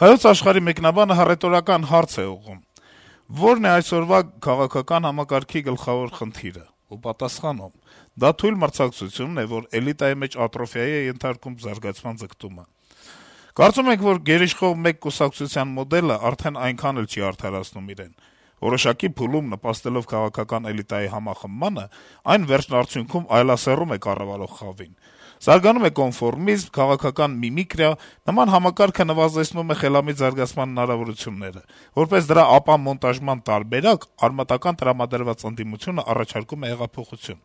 Հայոց աշխարհի մեկնաբանը հռետորական հարց է ուղղում. «Ո՞րն է այսօրվա քաղաքական համակարգի գլխավոր խնդիրը»։ Ու պատասխանում. «Դա թույլ մրցակցությունն է, որ էլիտայի մեջ ատրոֆիայի է ենթարկում զարգացման ձգտումը։ Կարծում ենք, որ գերիշխող մեկ կուսակցության մոդելը արդեն այնքան էլ չի արդարացնում իրեն։ Որոշակի փուլում նպաստելով քաղաքական էլիտայի համախմբմանը, այն վերջնարդյունքում այլասեռում է կառավարող խավին։ Զարգանում է կոնֆորմիզմ, քաղաքական միմիկրիա, նման համակարգը նվազեցնում է խելամիտ զարգացման հնարավորությունները։ Որպես դրա ապամոնտաժման տարբերակ, արմատական տրամադրված ընդդիմությունը առաջարկում է հեղափոխություն։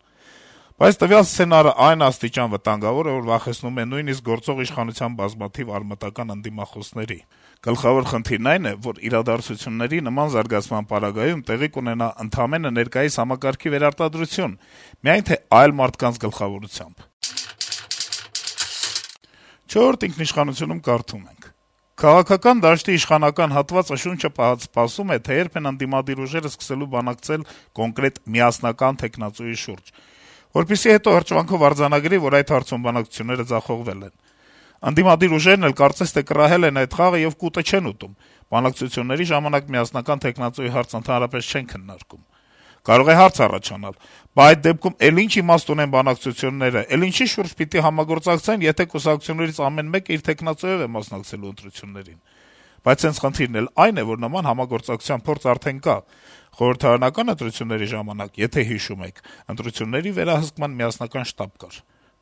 Բայց տվյալ սցենարը այն աստիճան վտանգավոր է, որ վախեցնում է նույնիսկ գործող իշխանության բազմաթիվ արմատական ընդդիմախոսների։ Գլխավոր խնդիրն այն է, որ իրադարձությունների նման զարգացման պարագայում տեղի կունենա ընդամենը ներկայիս համակարգի վերարտադրություն, միայն թե այլ մարդկանց գլխավորությամբ»։ «Չորրորդ ինքնիշխանություն»-ում կարդում ենք. - «Քաղաքական դաշտի իշխանական հատվածը շունչը սպասում է, թե երբ են ընդդիմադիր ուժերը սկսելու բանակցել կոնկրետ միասնական թեկնածուի շուրջ, որպեսզի հետո հրճվանքով արձանագրի, որ այդ հարցում բանակցությունները ձախողվել են։ Ընդդիմադիր ուժերն էլ կարծես թե կռահել են այդ խաղը եւ կուտը չեն ուտում. բանակցությունների ժամանակ միասնական թեկնածուի հարց ընդհանրապես չեն քննարկում։ Կարող է հարց առաջանալ. բա այդ դեպքում էլ ինչ իմաստ ունեն բանակցությունները, էլ ինչի շուրջ պիտի համագործակցեն, եթե կուսակցություններից ամեն մեկը իր թեկնածուով է մասնակցելու ընտրություններին։ Բայց հենց խնդիրն էլ այն է, որ նման համագործակցության փորձ արդեն կա։ Խորհրդարանական ընտրությունների ժամանակ, եթե հիշում եք, ընտրությունների վերահսկման միասնական շտաբ կար։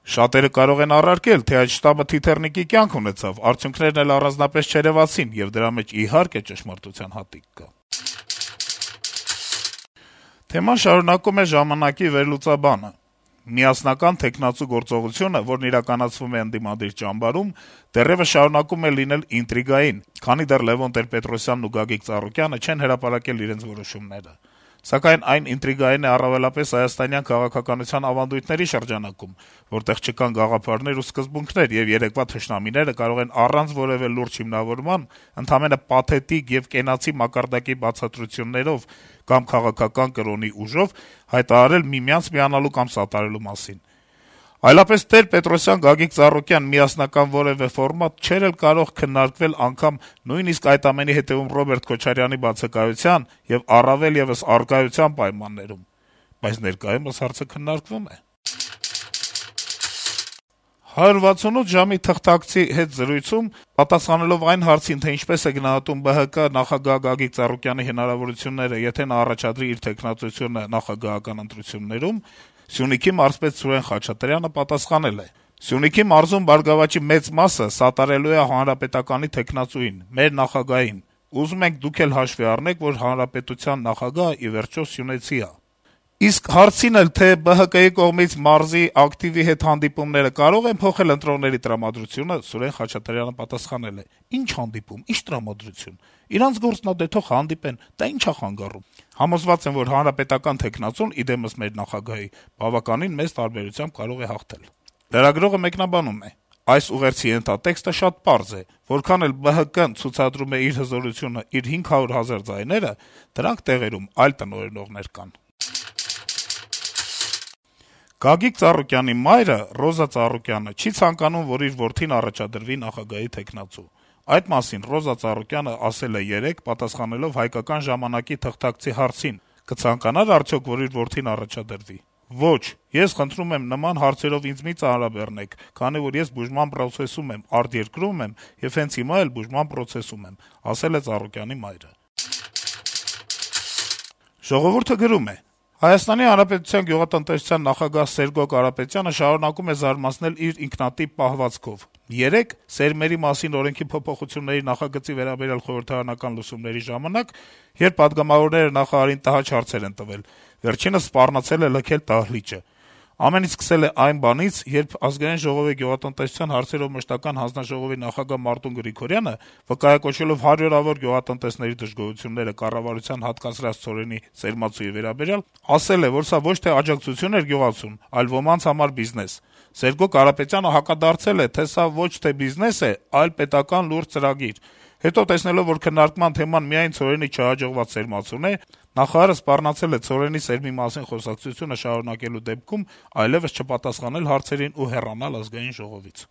Շատերը կարող են առարկել, թե այդ շտաբը թիթեռնիկի կյանք ունեցավ, արդյունքներն էլ առանձնապես չերեւացին, եւ դրա մեջ իհարկե ճշմարտության հատիկ կա»։ Թեման շարունակում է «Ժամանակ»-ի վերլուծաբանը. - «Միասնական թեկնածու գործողությունը, որն իրականացվում է ընդդիմադիր ճամբարում, դեռեւս շարունակում է լինել ինտրիգային, քանի դեռ Լեւոն Տեր-Պետրոսյանն ու Գագիկ Ծառուկյանը չեն հրապարակել իրենց որոշումները։ Սակայն այն ինտրիգային է առավելապես հայաստանյան քաղաքականության ավանդույթների շրջանակում, որտեղ չկան գաղափարներ ու սկզբունքներ, եւ երեկվա թշնամիները կարող են առանց որեւէ լուրջ հիմնավորման, ընդամենը պաթետիկ եւ կենացի մակարդակի բացատրություններով կամ քաղաքական կրոնի ուժով հայտարարել միմյանց միանալու կամ սատարելու մասին։ Այլապես Տեր-Պետրոսյան-Գագիկ Ծառուկյան միասնական որեւէ ֆորմատ չէր էլ կարող քննարկվել անգամ նույնիսկ այդ ամենի հետեւում Ռոբերտ Քոչարյանի բացակայության եւ առավել եւս առկայության պայմաններում։ Բայց ներկայումս հարցը քննարկվում է»։ 168 ժամի թղթակցի հետ զրույցում, պատասխանելով այն հարցին, թե ինչպես է գնահատում ԲՀԿ նախագահ Գագիկ Ծառուկյանի հնարավորությունները, եթե նա առաջադրի իր թեկնածությունը նախագահական ընտրություններում, Սյունիքի մարզպետ Սուրեն Խաչատրյանը պատասխանել է. - «Սյունիքի մարզում «Բարգավաճի» մեծ մասը սատարելու է Հանրապետականի թեկնածուին, մեր նախագահին։ Ուզում ենք դուք էլ հաշվի առնեք, որ հանրապետության նախագահը, ի վերջո, սյունեցի է»։ Իսկ հարցին էլ, թե ԲՀԿ-ի կողմից մարզի ակտիվի հետ հանդիպումները կարո՞ղ են փոխել ընտրողների տրամադրությունը, Սուրեն Խաչատրյանը պատասխանել է. - «Ինչ հանդիպում, ինչ տրամադրություն։ Իրանց գործն ա, դե թող հանդիպեն, դա ինչ ա խանգարում։ Համոզված եմ, որ հանրապետական թեկնածուն, ի դեմս մեր նախագահի, բավականին մեծ տարբերությամբ կարող է հաղթել»։ Լրագրողը մեկնաբանում է. - «Այս ուղերձի ենթատեքստը շատ պարզ է. որքան էլ ԲՀԿ-ն ցուցադրում է իր հզորությունը, իր 500 000 ձայները, դրանք տեղերում այլ տնօրինողներ կան»։ Գագիկ Ծառուկյանի մայրը՝ Ռոզա Ծառուկյանը, չի ցանկանում, որ իր որդին առաջադրվի նախագահի թեկնածու։ Այդ մասին Ռոզա Ծառուկյանը ասել է երեկ՝ պատասխանելով «Հայկական ժամանակ»-ի թղթակցի հարցին. «Կցանկանա՞ր արդյոք, որ իր որդին առաջադրվի»։ «Ոչ, ես խնդրում եմ նման հարցերով ինձ մի ծանրաբեռնեք, քանի որ ես բուժման պրոցեսում եմ, արտերկրում եմ եւ հենց հիմա էլ բուժման պրոցեսում եմ», ասել է Ծառուկյանի մայրը։ «Ժողովուրդ»-ը գրում է. - «Հայաստանի Հանրապետության գյուղատնտեսության նախագահ Սերգո Կարապետյանը շարունակում է զարմացնել իր ինքնատիպ պահվածքով։ Երեկ սերմերի մասին օրենքի փոփոխությունների նախագծի վերաբերյալ խորհրդարանական լսումների ժամանակ, երբ պատգամավորները նախարարին տհաճ հարցեր են տվել, վերջինս սպառնացել է լքել դահլիճը։ Ամեն ինչ սկսել է այն բանից, երբ Ազգային ժողովի գյուղատնտեսության հարցերով մշտական հանձնաժողովի նախագահ Մարտուն Գրիգորյանը, վկայակոչելով հարյուրավոր գյուղատնտեսների դժգոհությունները կառավարության հատկացրած ցորենի սերմացուի վերաբերյալ, ասել է, որ սա ոչ թե աջակցություն էր գյուղացուն, այլ ոմանց համար բիզնես։ Սերգո Կարապետյանը հակադարձել է, թե սա ոչ թե բիզնես է, այլ պետական լուրջ ծրագիր։ Հետո, տեսնելով, որ քննարկման թեման միայն ցորենի չհաջողված սերմացուն է, նախարարը սպառնացել է ցորենի սերմի մասին խոսակցությունը շարունակելու դեպքում այլեւս չպատասխանել հարցերին ու հեռանալ Ազգային ժողովից»։